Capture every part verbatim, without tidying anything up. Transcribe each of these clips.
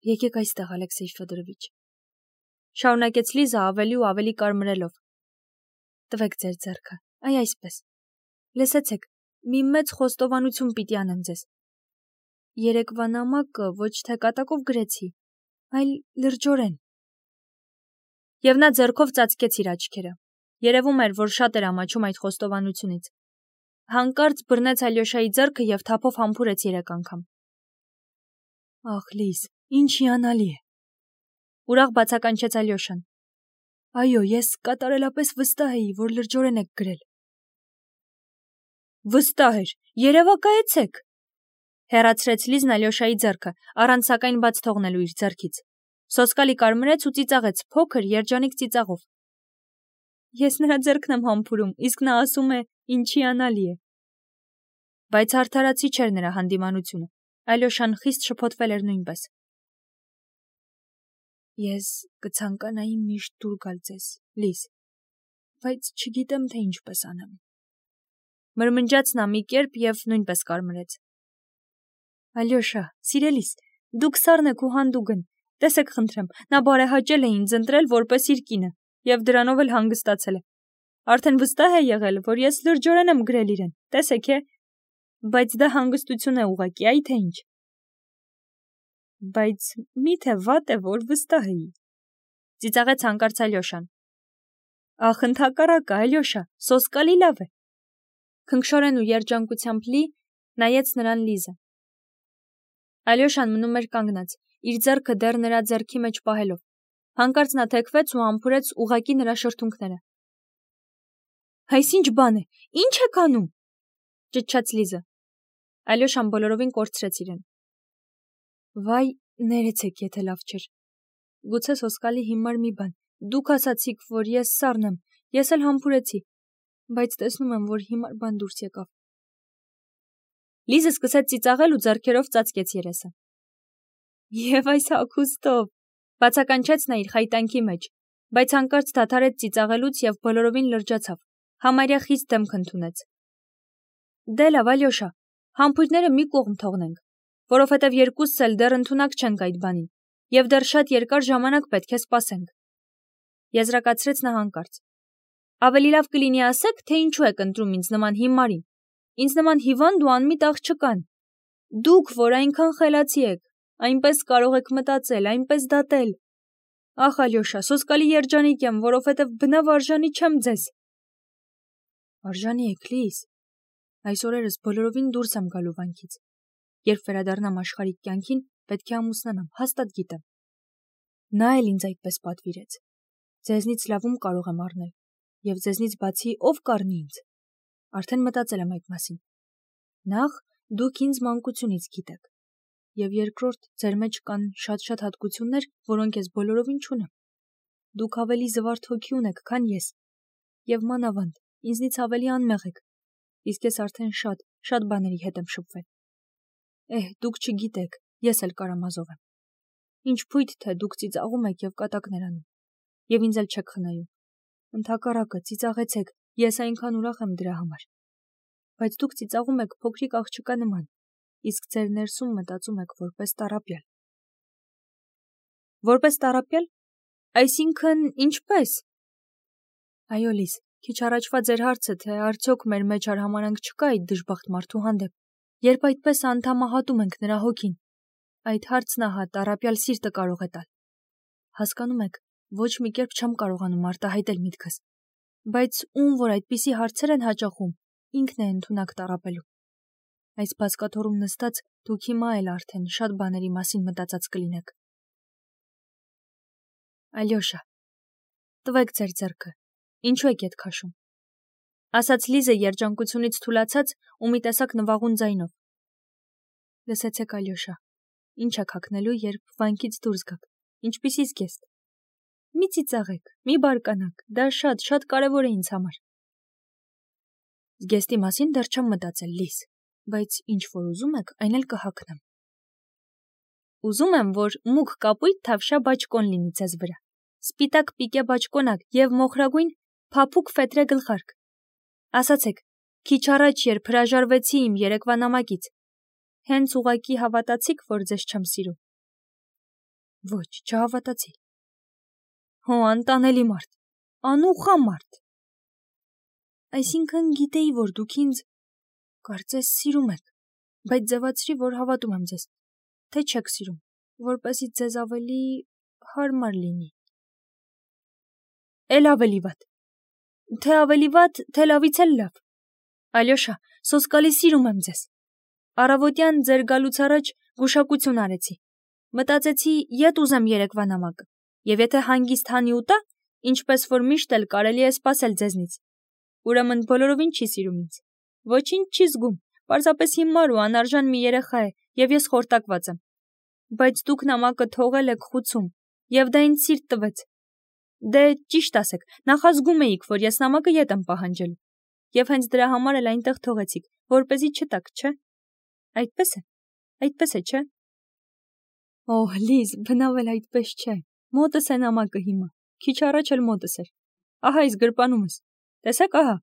Եկեք այստեղ, Ալեքսեյ Ֆյոդորովիչ, շարունակեց Լիզա ավելի ու ավելի կարմրելով։ Տվեք ձեր ձեռքը, այ այսպես։ Լսեցեք, մի մեծ խոստովանություն պիտի անեմ ձեզ։ Երեկվա նամակը ոչ թե կատակով գրեցի, այլ լրջորեն։ Եվ նա ձեռքով ծածկեց իր աչքերը։ Երևում էր, որ շատ էր ամաչում այդ խոստովանությունից։ Հանկարծ բռնեց Ալյոշայի ձեռքը և թափով համբուրեց երեք անգամ։ Ախ, Լիզ, ինչ հիանալի է։ Ուրախ բացականչեց Ալյոշան։ Այո, ես կատարելապես վստահ էի, որ լրջորեն եք գրել։ Վստահ էր, երևակայեցեք։ Հեռացրեց Լիզն Ալյոշայի ձեռքը, առանց սակայն բաց թողնելու իր ձեռքից։ Սոսկալի կարմրեց ու ծիծաղեց փոքր երջանիկ ծիծաղով։ Ես նրա ձեռքն եմ համբուրում, իսկ նա ասում է, ինչ հիանալի է։ Բայց արդարացի չէր նրա հանդիմանությունը։ Ալյոշան խիստ շփոթվել էր նույնպես։ Ես կցանկանայի միշտ դուր գալ ձեզ, Լիզ, բայց չգիտեմ, թե ինչպես անեմ։ Մրմնջաց նա մի կերպ և նույնպես կարմրեց։ Ալյոշա, սիրելիս, դուք սառն եք ու հանդուգն, տեսեք խնդրեմ, նա բարեհաճել է ինձ ընտրել որպես իր կինը, և դրանով էլ հանգստացել է։ Արդեն վստահ է եղել, որ ես լրջորեն եմ գրել իրեն, տեսեք է, բայց դա հանգստություն է ուղղակի, այ թե ինչ։ Բայց մի՞թե վատ է, որ վստահ էի։ Ծիծաղեց հանկարծ Ալյոշան։ Ախ, ընդհակառակը, Ալյոշա, սոսկալի լավ է։ Քնքշորեն ու երջանկությամբ լի նայեց նրան Լիզը։ Ալյոշան մնում էր կանգնած, իր ձեռքը դեռ նրա ձեռքի մեջ պահելով։ Հանկարծ նա թեքվեց ու համբուրեց ուղղակի նրա շրթունքները։ Այս ինչ բան է, ինչ եք անում, ճչաց Լիզը։ Ալյոշան բոլորովին կորցրեց իրեն։ Վայ, ներեցեք, եթե լավ չէր։ Գուցե սոսկալի հիմար մի բան։ Դուք ասացիք, որ ես սառն եմ, ես էլ համբուրեցի, բայց տեսնում եմ, որ հիմար բան դուրս եկավ։ Լիզը սկսեց ծիծաղել ու ձեռքերով ծածկեց երեսը։ Եվ այս հագուստով, բացականչեց նա իր խայտանքի մեջ, բայց հանկարծ դադարեց ծիծաղելուց և բոլորովին լրջացավ, համարյա խիստ դեմք ընդունեց։ Դե լավ, Ալյոշա, համբույրները մի կողմ թողնենք, որովհետև երկուսս էլ դեռ ընդունակ չենք այդ բանին, և դեռ շատ երկար ժամանակ պետք է սպասենք։ Եզրակացրեց նա հանկարծ։ Ավելի լավ կլինի ասեք, թե ինչու եք ընտրում ինձ նման հիմարին, ինձ նման հիվանդ ու անմիտ աղջկան։ Դուք, որ այնքան խելացի եք, այնպես կարող եք մտածել, այնպես դատել։ Ախ, Ալյոշա, սոսկալի երջանիկ եմ, որովհետև բնավ արժանի չեմ ձեզ։ Արժանի եք, Լիզ։ Այս օրերս բոլորովին դուրս եմ գալու վանքից։ Երբ վերադառնամ աշխարհիկ կյանքին, պետք է ամուսնանամ, հաստատ գիտեմ։ Նա էլ ինձ այդպես պատվիրեց։ Ձեզնից լավում կարող եմ առնել, և ձեզնից բացի ով կառնի ինձ։ Արդեն մտածել եմ այդ մասին։ Նախ, դուք ինձ մանկությունից գիտեք, և երկրորդ, ձեր մեջ կան շատ-շատ հատկություններ, որոնք ես բոլորովին չունեմ։ Դուք ավելի զվարթ հոգի ունեք, քան ես, և մանավանդ, ինձնից ավելի անմեղ եք, իսկ ես արդեն շատ, շատ բաների հետ եմ շփվել։ Էհ, դուք չգիտեք, ես էլ կարամազով եմ։ Ինչ փույթ թե դուք ծիծաղում եք և կատակներ անում, և ինձ էլ չեք խնայում։ Ընդհակառակը, ծիծաղեցեք, ես այնքան ուրախ եմ դրա համար։ Բայց դուք ծիծաղում եք փոքրիկ աղջկա նման, իսկ ձեր ներսում մտածում եք որպես տառապյալ։ Որպես տառապյալ։ Այսինքն, ինչպես։ Այո, Լիզ, քիչ առաջվա ձեր հարցը, թե արդյոք մեր մեջ արհամարհանք չկա այդ դժբախտ մարդու հանդեպ, երբ այդպես անդամահատում ենք նրա հոգին, այդ հարցն ահա տառապյալ սիրտը կարող է տալ։ Հասկանում եք, ոչ մի կերպ չեմ կարողանում արտահայտել միտքս, բայց ում որ այդպիսի հարցեր են հաճախում, ինքն է ընդունակ տառապելու։ Այս բազկաթոռում նստած դուք հիմա էլ արդեն շատ բաների մասին մտածած կլինեք։ Ալյոշա, տվեք ձեր ձեռքը, ինչու եք ետ քաշում, ասաց Լիզը երջանկությունից թուլացած ու մի տեսակ նվաղուն ձայնով։ Լսեցեք, Ալյոշա, ինչ եք հագնելու, երբ վանքից դուրս գաք, ինչպիսի զգեստ։ Մի ծիծաղեք, մի բարկանաք, դա շատ, շատ կարևոր է ինձ համար։ Զգեստի մասին դեռ չեմ մտածել, Լիզ, բայց ինչ որ ուզում եք, այն էլ կհագնեմ։ Ուզում եմ, որ մուգ կապույտ թավշյա բաճկոն լինի ձեզ վրա, սպիտակ պիկե բաճկոնակ և մոխրագույն փափուկ ֆետրե գլխարկ։ Ասացեք, քիչ առաջ երբ հրաժարվեցի իմ երեկվա նամակից, հենց ուղղակի հավատացիք, որ ձեզ չեմ սիրում։ Ոչ, չհավատացի։ Հո, անտանելի մարդ, անուխա մարդ։ Այսինքն գիտեի, որ դուք ինձ կարծես սիրում եք, բայց ձևացրի, որ հավատում եմ ձեզ, թե չեք սիրում, որպեսզի ձեզ ավելի հարմար լինի։ Էլ ավելի վատ։ Թե ավելի վատ, թե լավից էլ լավ։ Ալյոշա, սոսկալի սիրում եմ ձեզ։ Առավոտյան ձեր գալուց առաջ գուշակություն արեցի։ Մտածեցի, ետ ուզեմ երեկվա նամակը, եւ եթե հանգիստ հանի ուտա, ինչպես որ միշտ էլ կարելի է սպասել ձեզնից։ Ուրեմն բոլորովին չի սիրում ինձ։ Ոչինչ չի զգում, պարզապես հիմար ու անարժան մի երեխա է, եւ ես խորտակված եմ։ Բայց դուք նամակը թողել եք խուցում, եւ դա ինձ սիրտ տվեց։ Դե ճիշտ ասեք, նախազգում էիք, որ ես նամակը ետ եմ պահանջելու, եւ հենց դրա համար էլ այնտեղ թողեցիք, որպեսզի չտաք, չէ՞։ Այդպես է, այդպես է, չէ՞։ Օհ, Լիզ, բնավ էլ այդպես չէ։ Մոտս է նամակը հիմա, քիչ առաջ էլ մոտս էր։ Ահա այս գրպանումս։ Տեսեք, ահա։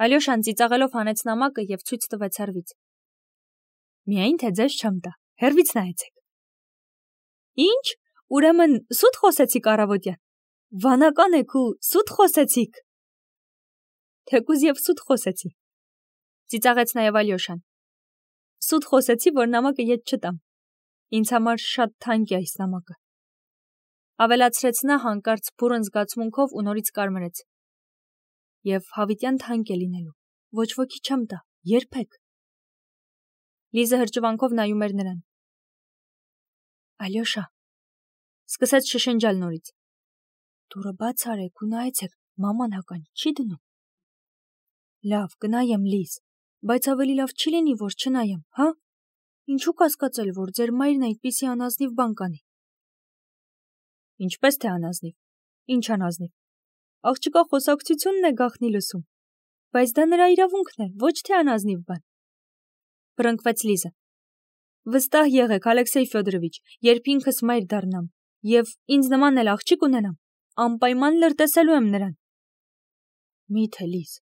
Ալյոշան ծիծաղելով հանեց նամակը եւ ցույց տվեց հեռվից։ Միայն թե ձեզ չեմ տա, հեռվից նայեցեք։ Ինչ, ուրեմն սուտ խոսեցիք առավոտյան։ Վանական եք ու սուտ խոսեցիք։ Թեկուզ եւ սուտ խոսեցի։ Ծիծաղեց նաեւ Ալյոշան։ Սուտ խոսեցի, որ նամակը ետ չտամ։ Ինձ համար շատ թանկ է այս նամակը։ Ավելացրեց նա հանկարծ բուրըն զգացմունքով ու նորից կարմրեց։ Եվ հավիտյան թանկ է լինելու, ոչ ոքի չեմ տա, երբեք։ Լիզը հրճվանքով նայում էր նրան։ Ալյոշա, սկսեց շշնջալ նորից։ Դուրը բաց արեք ու նայեցեք, մաման հական չի դնում։ Լավ, կնայեմ, Լիզ, բայց ավելի լավ չի լինի, որ չնայեմ, հա։ Ինչու կասկածել, որ ձեր մայրն այդպիսի անազնիվ բան կանի։ Ինչպես թե անազնիվ։ Ինչ անազնիվ։ Աղջկա խոսակցությունն է գախնի լսում։ Բայց դա նրա իրավունքն է, ոչ թե անազնիվ բան։ Բռնկվեց Լիզը։ Վստահ եղեք, Ալեքսեյ Ֆյոդորովիչ, երբ ինքս մայր դառնամ եւ ինձ նման էլ աղջիկ ունենամ, անպայման լրտեսելու եմ նրան։ Միթե Լիզ,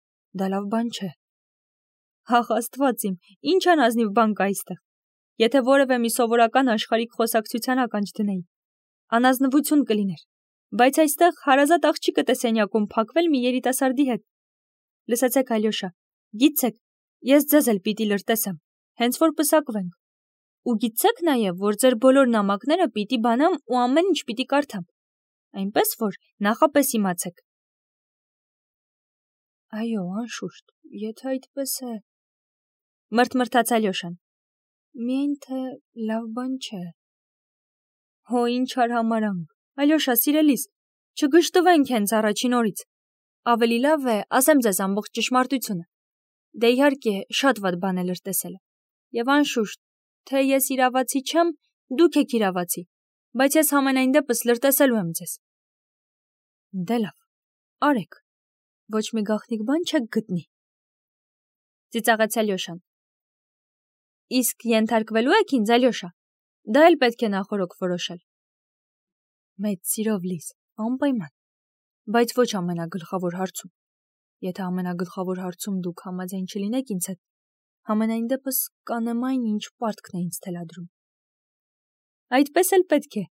դա լավ բան չէ։ Հախ Աստված իմ, ինչ անազնիվ բան կա այստեղ։ Եթե որևէ մի սովորական աշխարհիկ խոսակցության ականջ դնեի, անազնվություն կլիներ, բայց այստեղ հարազատ աղջիկը տեսենյակում փակվել մի երիտասարդի հետ։ Լսեցեք, Ալյոշա, գիտեք, ես ձեզ էլ պիտի լրտեսեմ, հենց որ պսակվենք։ Ու գիտեք նաև, որ ձեր բոլոր նամակները պիտի բանամ ու ամեն ինչ պիտի կարդամ։ Այնպես որ նախապես իմացեք։ Այո, անշուշտ, եթե այդպես է։ Մրթմրթաց Ալյոշան։ Միայն թե լավ բան չէ։ Հո ինչ արհամարանք, Ալյոշա, սիրելիս, չգշտվենք հենց առաջին օրից։ Ավելի լավ է, ասեմ ձեզ ամբողջ ճշմարտությունը։ Դե իհարկե, շատ վատ բան է լրտեսելը։ Եվ անշուշտ, թե ես իրավացի չեմ, դուք եք իրավացի, բայց ես համենայն դեպս լրտեսելու եմ ձեզ։ Դե լավ, արեք, ոչ մի գաղտնիք բան չեք գտնի։ Ծիծաղեց Ալյոշան։ Իսկ ենթարկվելու եք ինձ, Ալյոշա։ Դա էլ պետք է նախորոք որոշել։ Մեծ սիրով, Լիզ, անպայման, բայց ոչ ամենագլխավոր հարցում։ Եթե ամենագլխավոր հարցում դուք համաձայն չլինեք ինձ հետ, համենայն դեպս կանեմ այն, ինչ պարտքն է ինձ թելադրում։ Այդպես էլ պետք է։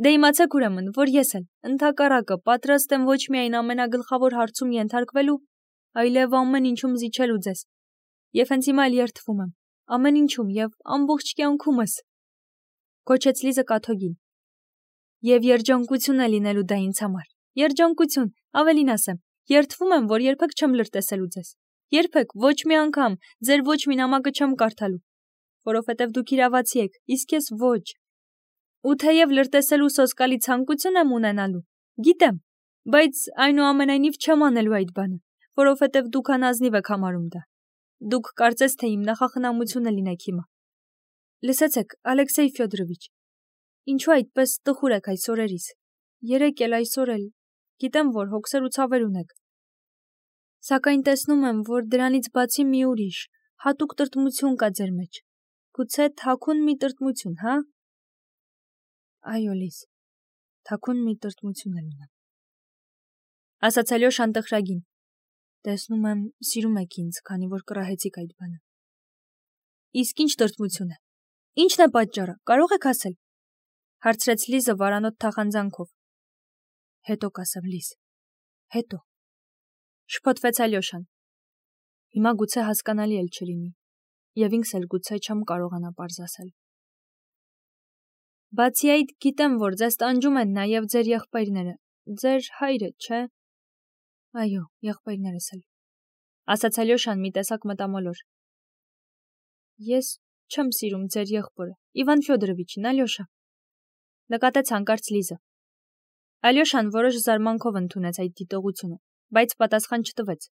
Դե իմացեք ուրեմն, որ ես էլ ընդհակառակը պատրաստ եմ ոչ միայն ամենագլխավոր հարցում ենթարկվելու, այլև ամեն ինչում զիջելու ձեզ։ Եվ հենց հիմա էլ երդվում եմ, ամեն ինչում եւ ամբողջ կյանքումս։ Կոչեց Լիզը կաթողին։ Եվ երջանկություն է լինելու դա ինձ համար։ Երջանկություն, ավելին ասեմ, երդվում եմ, որ երբեք չեմ լրտեսելու ձեզ։ Երբեք ոչ մի անգամ ձեր ոչ մի նամակը չեմ կարդալու, որովհետև դուք իրավացի եք, իսկ ես ոչ։ Ու թեև լրտեսելու սոսկալի ցանկություն եմ ունենալու, գիտեմ, բայց այնուամենայնիվ չեմ անելու այդ բանը, որովհետև դուք անազնիվ եք համարում դա։ Դուք կարծես թե իմ նախախնամությունը լինեք հիմա։ Լսեցեք, Ալեքսեյ Ֆյոդորովիչ, ինչու այդպես տխուր եք այս օրերիս։ Երեկ էլ այսօր էլ գիտեմ, որ հոգսեր ու ցավեր ունեք։ Սակայն տեսնում եմ, որ դրանից բացի մի ուրիշ, հատուկ տրտմություն կա ձեր մեջ։ Գուցե թաքուն մի տրտմություն, հա։ Այո, Լիզ, թաքուն մի տրտմություն էլ ունեմ։ Ասաց Ալյոշան տխրագին։ Տեսնում եմ, սիրում եք ինձ, քանի որ կռահեցիք այդ բանը։ Իսկ ինչ տրտմություն է։ Ինչն է պատճառը, կարող եք ասել։ Հարցրեց Լիզը վարանոտ թախանձանքով։ Հետո կասեմ, Լիզ, հետո։ Շփոթվեց Ալյոշան։ Հիմա գուցե հասկանալի էլ չլինի, եւ ինքս էլ գուցե չեմ կարողանա պարզ ասել։ Բացի այդ, գիտեմ, որ ձեզ տանջում են նաեւ ձեր եղբայրները, ձեր հայրը, չէ՞։ Այո, եղբայրներս էլ, ասաց Ալյոշան մի տեսակ մտամոլոր։ Ես չեմ սիրում ձեր եղբորը, Իվան Ֆյոդորովիչին, Ալյոշա, նկատեց հանկարծ Լիզը։ Ալյոշան որոշ զարմանքով ընդունեց այդ դիտողությունը, բայց պատասխան չտվեց։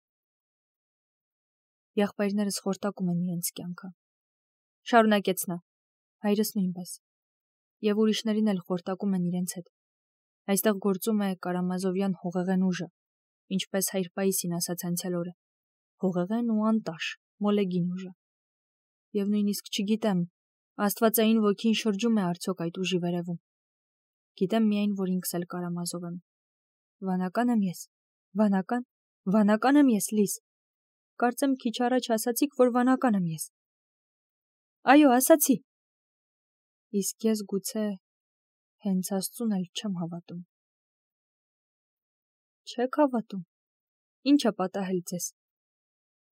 Եղբայրներս խորտակում են իրենց կյանքը, շարունակեց նա, հայրս նույնպես, եւ ուրիշներին էլ խորտակում են իրենց հետ։ Այստեղ գործում է Կարամազովյան հողեղեն ուժը, ինչպես հայր Պայիսին ասաց անցյալ օրը, հողեղեն ու անտաշ, մոլեգին ուժը։ Եվ նույնիսկ չգիտեմ, աստվածային ոգին շրջում է արդյոք այդ ուժի վերևում։ Գիտեմ միայն, որ ինքս էլ Կարամազով եմ։ Վանական եմ ես, վանական, վանական եմ ես, Լիզ։ Կարծեմ քիչ առաջ ասացիք, որ վանական եմ ես։ Այո, ասացի։ Իսկ ես գուցե հենց Աստծուն էլ չեմ հավատում։ Չեք հավատում։ Ինչ է պատահել ձեզ։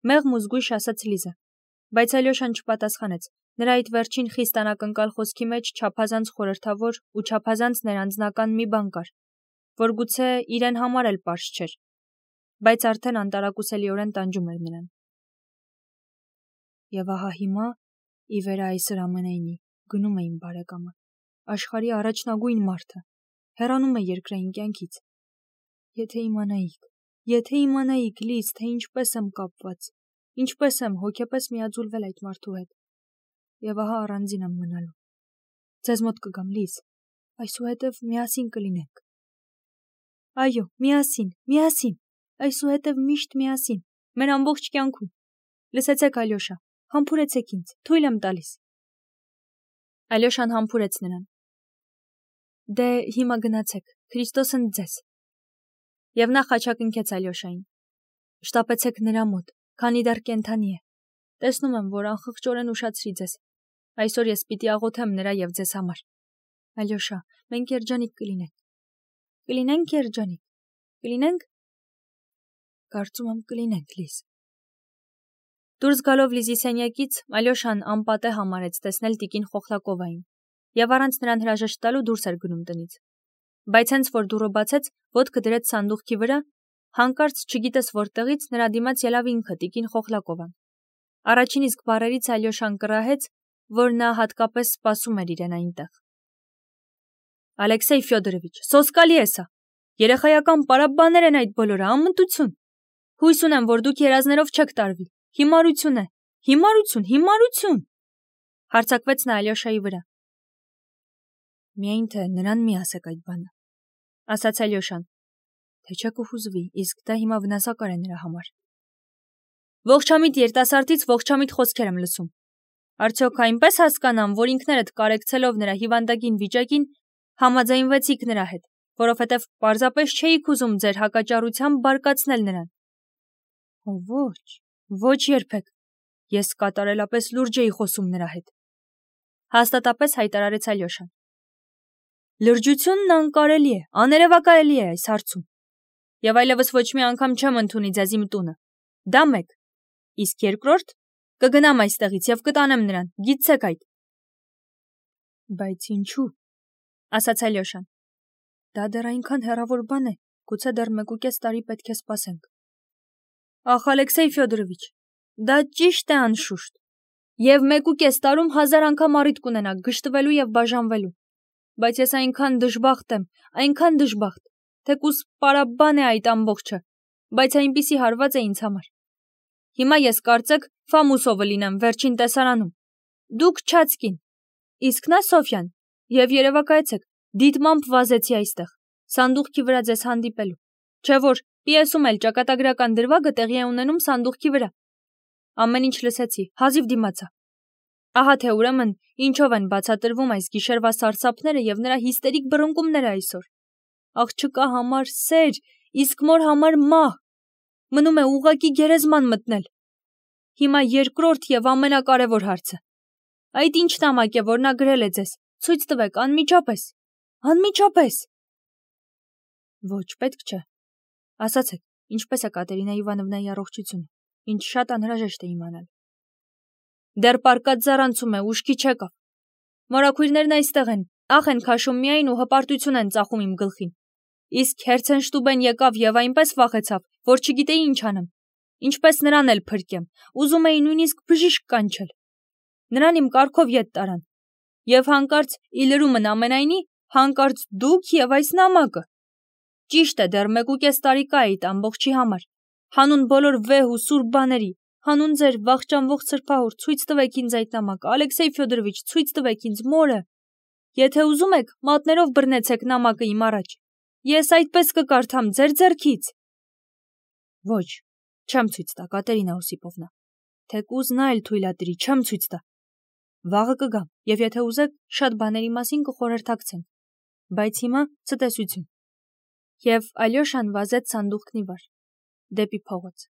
Մեղմ ու զգույշ ասաց Լիզը, բայց Ալյոշան չպատասխանեց։ Նրա այդ վերջին խիստ անակնկալ խոսքի մեջ չափազանց խորհրդավոր ու չափազանց ներանձնական մի բան կար, որ գուցե իրեն համար էլ պարզ չէր, բայց արդեն անտարակուսելիորեն տանջում էր նրան։ Եվ ահա հիմա, ի վեր այսօր ամենայնի, գնում է իմ բարեկամը, աշխարհի առաջնագույն մարդը, հեռանում է երկրային կյանքից։ Եթե իմանայիք, եթե իմանայիք, Լիզ, թե ինչպես եմ կապված, ինչպես եմ հոգեպես միաձուլվել այդ մարդու հետ։ Եվ ահա առանձին եմ մնալու։ Ձեզ մոտ կգամ, Լիզ, այսուհետև միասին կլինենք։ Այո, միասին, միասին, այսուհետև միշտ միասին, մեր ամբողջ կյանքում։ Լսեցեք, Ալյոշա, համբուրեցեք ինձ, թույլ եմ տալիս։ Ալյոշան համբուրեց նրան։ Դե հիմա գնացեք, Քրիստոսն ձեզ։ Եվ նա խաչակնքեց Ալյոշային։ Շտապեցեք նրա մոտ, քանի դեռ կենդանի է։ Տեսնում եմ, որ անխղճորեն ուշացրի ձեզ։ Այսօր ես պիտի աղոթեմ նրա եւ ձեզ համար։ Ալյոշա, մենք երջանիկ կլինենք։ Կլինենք երջանիկ։ Կլինենք։ Կարծում եմ կլինենք, Լիզ։ Դուրս գալով Լիզի սենյակից, Ալյոշան անպատե համարեց տեսնել տիկին Խոխլակովային եւ առանց նրան հրաժեշտ տալու դուրս էր գնում տնից։ Բայց հենց որ դուռը բացեց, ոտքը դրեց սանդուղքի վրա, հանկարծ չգիտես որտեղից նրա դիմաց ելավ ինքը տիկին Խոխլակովան։ Առաջին իսկ բառերից Ալյոշան կռահեց, որ նա հատկապես սպասում էր իրեն այնտեղ։ Ալեքսեյ Ֆյոդորովիչ, սոսկալի է սա։ Երեխայական պարապ-բաներ են այդ բոլորը, անմտություն։ Հույս ունեմ, որ դուք երազներով չեք տարվի։ Հիմարություն է, հիմարություն, հիմարություն։ Հարձակվեց նա Ալյոշայի վրա։ Միայն թե նրան մի ասեք այդ բանը, ասաց Ալյոշան, թե չէ կհուզվի, իսկ դա հիմա վնասակար է նրա համար։ Ողջամիտ երիտասարդից ողջամիտ խոսքեր եմ լսում։ Արդյոք այնպես հասկանամ, որ ինքներդ կարեկցելով նրա հիվանդագին վիճակին համաձայնվեցիք նրա հետ, որովհետև պարզապես չէիք ուզում ձեր հակաճառությամբ բարկացնել նրան։ Ոչ, ոչ երբեք։ Ես կատարելապես լուրջ էի խոսում նրա հետ։ Հաստատապես հայտարարեց Ալյոշան։ Լրջությունն անկարելի է, աներևակայելի է այս հարցում։ Եվ այլևս ոչ մի անգամ չեմ ընդունի ձեզ իմ տունը։ Դա մեկ։ Իսկ երկրորդ, կգնամ այստեղից եւ կտանեմ նրան, գիտցեք այդ։ Բայց ինչու, ասաց Ալյոշան։ Դա դեռ այնքան հեռավոր բան է, գուցե դեռ մեկուկես տարի պետք է սպասենք։ Ախ, Ալեքսեյ Ֆյոդորովիչ, դա ճիշտ է անշուշտ։ Եվ մեկուկես տարում հազար անգամ առիթ կունենաք գժտվելու եւ բաժանվելու։ Բայց ես այնքան դժբախտ եմ, այնքան դժբախտ, թեկուզ պարաբան է այդ ամբողջը, բայց այնպիսի հարված է ինձ համար։ Հիմա ես կարծեք Ֆամուսովը լինեմ վերջին տեսարանում։ Դուք Չացկին, իսկ նա Սոֆյան, եւ երևակայեցեք, դիտմամբ վազեցի այստեղ, սանդուղքի վրա ձեզ հանդիպելու, չէ որ պիեսում էլ ճակատագրական դրվագը տեղի է ունենում սանդուղքի վրա։ Ամեն ինչ լսեցի, հազիվ դիմացա։ Ահա թե ուրեմն ինչով են բացատրվում այս գիշերվա սարսափները եւ նրա հիստերիկ բռնկումները այսօր։ Աղջկա համար սեր, իսկ մոր համար մահ։ Մնում է ուղակի գերեզման մտնել։ Հիմա երկրորդ եւ ամենակարևոր հարցը։ Այդ ինչ նամակ է, որ նա գրել է ձեզ, ցույց տվեք անմիջապես։ Անմիջապես։ Ոչ, պետք չէ։ Ասացեք, ինչպես է Կատերինա Իվանովնայի առողջությունը, ինչ շատ անհրաժեշտ է իմանալ։ Դեռ պարկած զառանցում է, ուշքի չեկավ։ Մորաքույրներն այստեղ են, աղ են քաշում միայն ու հպարտություն են ծախում իմ գլխին։ Իսկ Հերցենշտուբեն եկավ եւ այնպես վախեցավ, որ չգիտեի ինչ անեմ։ Ինչպես նրան էլ փրկեմ, ուզում էի նույնիսկ բժիշկ կանչել։ Նրան իմ կառքով ետ տարան։ Եվ հանկարծ ի լրումն ամենայնի, հանկարծ դուք եւ այս նամակը։ Ճիշտ է, դեռ մեկուկես տարի կա այդ ամբողջի համար։ Հանուն բոլոր վեհ ու սուրբ բաների, հանուն ձեր վախճանվող սրբահոր, ցույց տվեք ինձ այդ նամակը, Ալեքսեյ Ֆյոդորովիչ, ցույց տվեք ինձ մորը։ Եթե ուզում եք, մատներով բռնեցեք նամակը իմ առաջ։ Ես այդպես կկարդամ ձեր ձեռքից։ Ոչ, չեմ ցույց տա, Կատերինա Օսիպովնա։ Թեկուզ նա էլ թույլատրի, չեմ ցույց տա։ Վաղը կգամ, եւ եթե ուզեք, շատ բաների մասին կխորհրդակցենք։ Բայց հիմա ցտեսություն։ Եվ Ալյոշան վազեց սանդուղքն ի վար, դեպի փողոց։